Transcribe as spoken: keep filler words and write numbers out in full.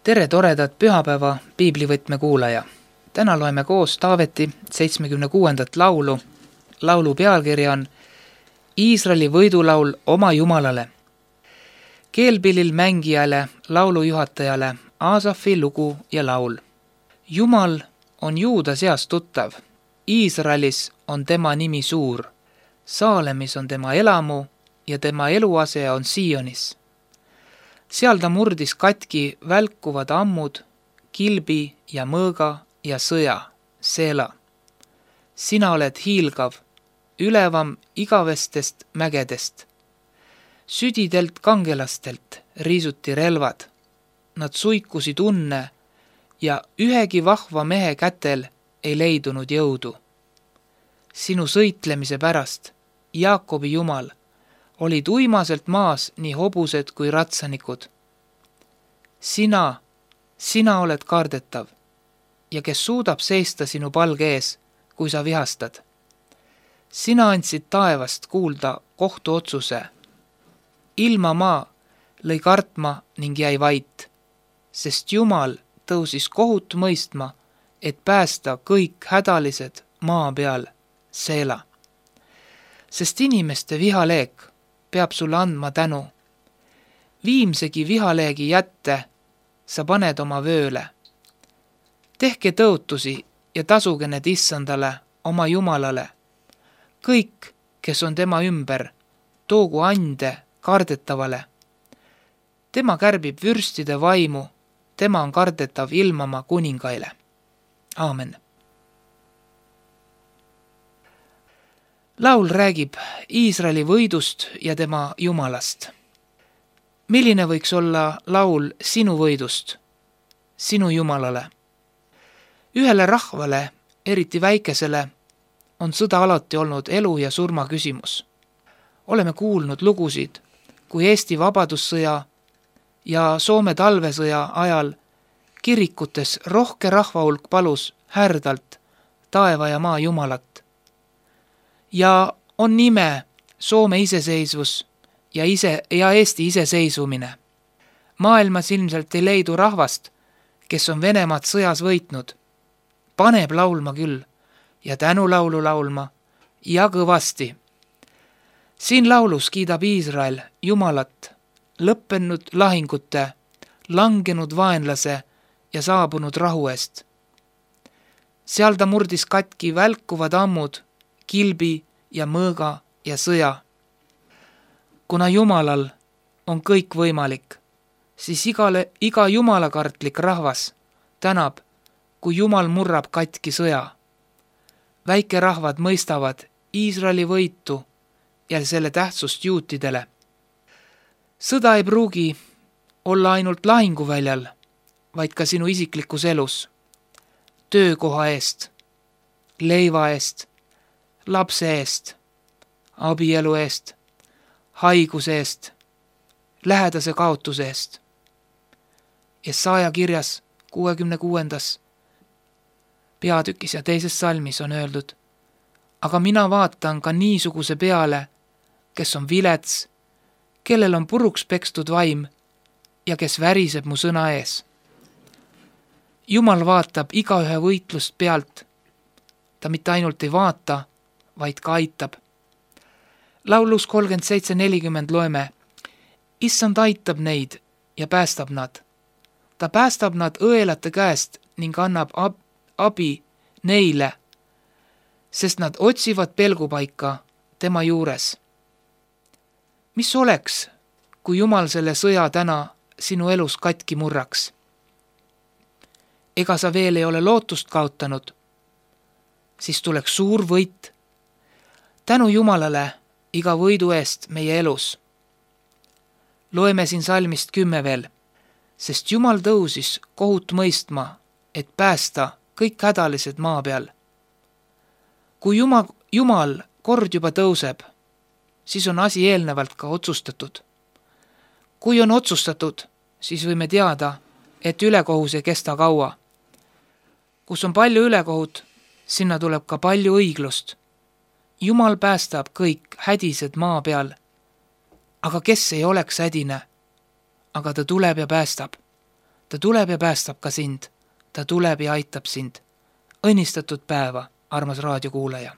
Tere toredat pühapäeva piiblivõtme kuulaja. Täna loeme koos Taaveti seitsmekümne kuuendat laulu. Laulu pealkiri on Iisraeli võidulaul oma Jumalale. Keelpillil mängijale, laulujuhatajale Aasafi lugu ja laul. Jumal on Juuda seas tuttav. Iisraelis on tema nimi suur. Saalemis on tema elamu ja tema eluase on Sionis. Seal ta murdis katki välkuvad ammud, kilbi ja mõõga ja sõja, Seela. Sina oled hiilgav, ülevam igavestest mägedest. Südidelt kangelastelt riisuti relvad. Nad suikusid unne ja ühegi vahva mehe kätel ei leidunud jõudu. Sinu sõitlemise pärast, Jaakobi Jumal, olid uimaselt maas nii hobused kui ratsanikud. Sina, sina oled kardetav ja kes suudab seista sinu palge ees, kui sa vihastad. Sina andsid taevast kuulda kohtuotsuse. Ilma maa lõi kartma ning jäi vait, sest Jumal tõusis kohut mõistma, et päästa kõik hädalised maa peal, Seela. Sest inimeste vihaleek peab sulle andma tänu. Viimsegi vihaleegi jätte sa paned oma vööle. Tehke tõotusi ja tasuge need issandale, oma Jumalale. Kõik, kes on tema ümber, toogu ande kardetavale. Tema kärbib vürstide vaimu, tema on kardetav ilmama kuningaile. Aamen. Laul räägib Iisraeli võidust ja tema Jumalast. Milline võiks olla laul sinu võidust, sinu Jumalale? Ühele rahvale, eriti väikesele, on sõda alati olnud elu ja surma küsimus. Oleme kuulnud lugusid, kui Eesti vabadussõja ja Soome talvesõja ajal kirikutes rohke rahvahulk palus härdalt taeva ja maa Jumalat. Ja on nime Soome iseseisvus ja, ise, ja Eesti iseseisvumine. Maailmas ilmselt ei leidu rahvast, kes on Venemaad sõjas võitnud. Paneb laulma küll ja tänulaulu laulma ja kõvasti. Siin laulus kiidab Iisrael Jumalat, lõppenud lahingute, langenud vaenlase ja saabunud rahu eest. Seal ta murdis katki välkuvad ammud, kilbi ja mõõga ja sõja. Kuna Jumalal on kõik võimalik, siis igale, iga jumalakartlik rahvas tänab, kui Jumal murrab katki sõja. Väikerahvad mõistavad Iisraeli võitu ja selle tähtsust juutidele. Sõda ei pruugi olla ainult lahinguväljal, vaid ka sinu isiklikus elus. Töökoha eest, leiva eest, lapse eest, abielu eest, haiguse eest, lähedase kaotuse eest. Jesaja kirjas kuuekümne kuuendas peatükis ja teises salmis on öeldud, aga mina vaatan ka niisuguse peale, kes on vilets, kellel on puruks pekstud vaim ja kes väriseb mu sõna ees. Jumal vaatab igaühe võitlust pealt. Ta mitte ainult ei vaata, vaid ka aitab. Laulus kolmkümmend seitse nelikümmend loeme, Issand aitab neid ja päästab nad. Ta päästab nad õelate käest ning annab ab- abi neile, sest nad otsivad pelgupaika tema juures. Mis oleks, kui Jumal selle sõja täna sinu elus katki murraks? Ega sa veel ei ole lootust kaotanud, siis tuleks suur võit. Tänu Jumalale iga võidu eest meie elus. Loeme siin salmist kümme veel, sest Jumal tõusis kohut mõistma, et päästa kõik hädalised maa peal. Kui Jumal, Jumal kord juba tõuseb, siis on asi eelnevalt ka otsustatud. Kui on otsustatud, siis võime teada, et ülekohus ei kesta kaua. Kus on palju ülekohut, sinna tuleb ka palju õiglust. Jumal päästab kõik hädised maa peal. Aga kes ei oleks hädine? Aga ta tuleb ja päästab. ta tuleb ja päästab ka sind. ta tuleb ja aitab sind. Õnnistatud päeva, armas raadiokuulaja!